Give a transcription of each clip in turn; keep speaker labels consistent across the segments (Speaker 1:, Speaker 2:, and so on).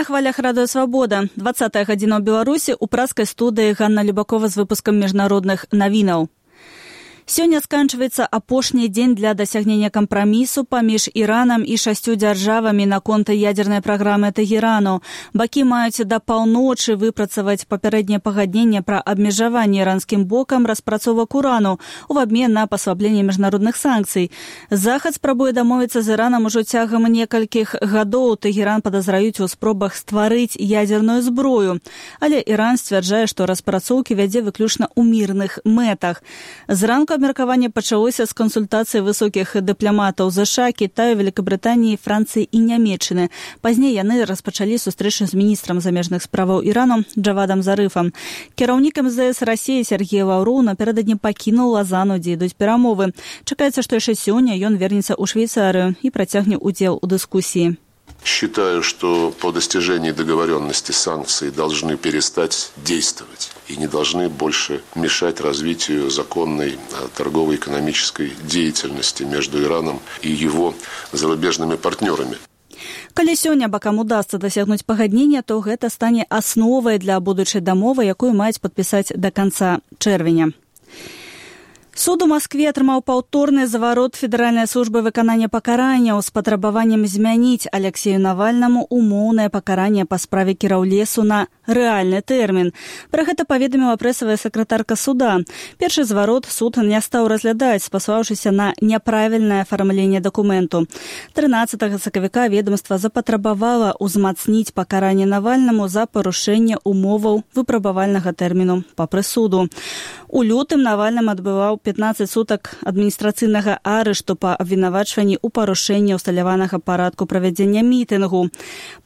Speaker 1: На хвалях Радыё Свабода. 20-я гадзіна ў Беларусі ў праскай студыі Ганна Любакова з выпускам міжнародных навінаў. Сёння сканчваецца апошні дзень для дасягнення кампрамісу паміж Іранам і 6 дзяржавамі наконт ядзернай праграмы Тэгерану. Бакі маюць да паўночы выпрацаваць папярэдняе пагадненне пра абмежаванне іранскім бокам распрацовак урану ў абмен на паслабленне міжнародных санкцый. Захад спрабуе дамовіцца з Іранам ужо цягам некалькіх гадоў. Тэгеран падазраюць у спробах стварыць ядзерную зброю. Але Іран сцвярджае, што распрацоўкі вядзе выключна ў мірных мэтах. Зранку абмеркаванне пачалося з кансультацыі высокіх дыпламатаў ЗША, Кітаю, Великабрытаніі, Францыі і Нямецчыны. Пазней яны распачалі сустрэчу з міністрам замежных справаў Ірану Джавадам Зарыфам. Кіраўнік МЗС Расіі Сергей Лаўроў напярэдадні пакінуў Лазану, дзе ідуць перамовы. Чакаецца, што яшчэ сёння ён вернецца ў Швейцарыю і працягне удзел у дыскусіі.
Speaker 2: Считаю, что по достижении договоренности санкции должны перестать действовать и не должны больше мешать развитию законной торгово-экономической деятельности между Ираном и его зарубежными партнерами.
Speaker 1: Калі сёння бакам удасца дасягнуць пагаднення, то гэта стане асновай для будучай дамовы, якую маюць падпісаць да канца чэрвеня. Суд у Маскве атрымаў паўторны заварот Федэральнай службы выканання пакаранняў з патрабаваннем змяніць Алексею Навальнаму умоўнае пакаранне па справе Кіраўлесу на рэальны тэрмін. Пра гэта паведаміла прэсавая сакратарка суда. Першы зварот суд не стаў разглядаць, спасылаўшыся на няправільнае афармленне дакументу. 13 сакавіка ведомства запатрабавала ўзмацніць пакаранне Навальнаму за парушэнне умоваў выпрабавальнага тэрміну па прысуду. У лютым Навальным адбываў 15 сутак адміністрацыйнага арышту па абвінавачванні ў парушэнні ўсталяванага парадку правядзення мітынгу.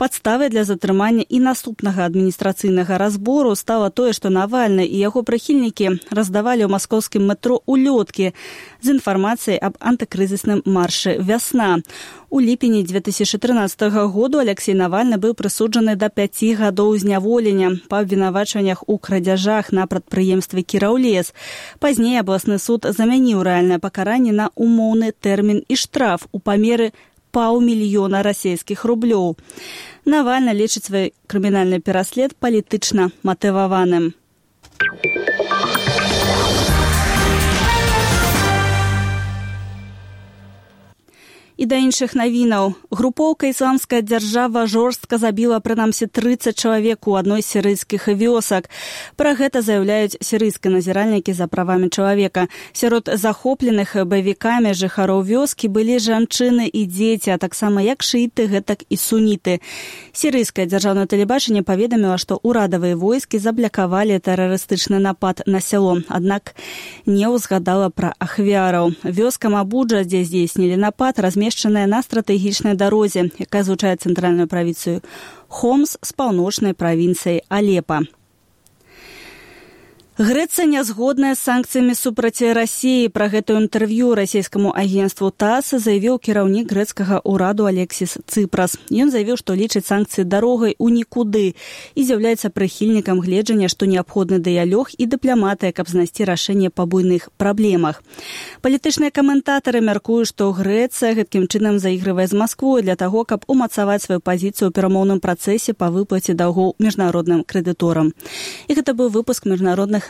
Speaker 1: Падставай для затрымання і наступнага адміністрацыйнага разбору стала тое, што Навальны і яго прыхільнікі раздавалі ў маскоўскім метро улёткі з інфармацыяй аб антыкрызісным маршы «Вясна». У ліпені 2013 году Алексей Навальны быў прысуджаны да 5 гадоў зняволення па абвінавачваннях у крадзяжах на прадпрыемстве «Кіраўлес». Пазней абласны суд замяніў рэальнае пакаранне на умоўны тэрмін і штраф у памеры 500 000 расійскіх рублёў. Навальны лічыць свой крымінальны пераслед палітычна матываваным. І да іншых навінаў. Групоўка «Ісламская дзяржава» жорстка забіла прынамсі 30 чалавек у адной з сірыйскіх вёсак. Пра гэта заяўляюць сірыйскія назіральнікі за правамі чалавека. Сярод захопленых баевікамі жыхароў вёскі былі жанчыны і дзеці, а таксама як шыіты, гэтак і суніты. Сірыйскае дзяржаўнае тэлебачанне паведаміла, што ўрадавыя войскі заблакавалі тэрарыстычны напад на сяло, аднак не ўзгадала пра ахвяраў. Вёска Мабуджа, дзе здзейснілі напад, размешчаная на стратэгічнай дарозе, якая злучае цэнтральную правінцыю Хомс з паўночнай правінцыяй Алепа. Грэцыя не згодная з санкцыямі супраць Расіі. Пра гэта ў інтэрв'ю расійскаму агенцтву ТАСС заявіў кіраўнік грэцкага ўраду Алексіс Цыпрас. Ён заявіў, што лічыць санкцыі дарогай у нікуды і з'яўляецца прыхільнікам гледжання, што неабходны дыялог і дыпламатыя, каб знайсці рашэнне па буйных праблемах. Палітычныя каментатары мяркуюць, што Грэцыя гэткім чынам заігрывае з Масквой для таго, каб умацаваць сваю пазіцыю ў перамоўным працэсе па выплаце даўгоў міжнародным крэдыторам. І гэта быў выпуск міжнародных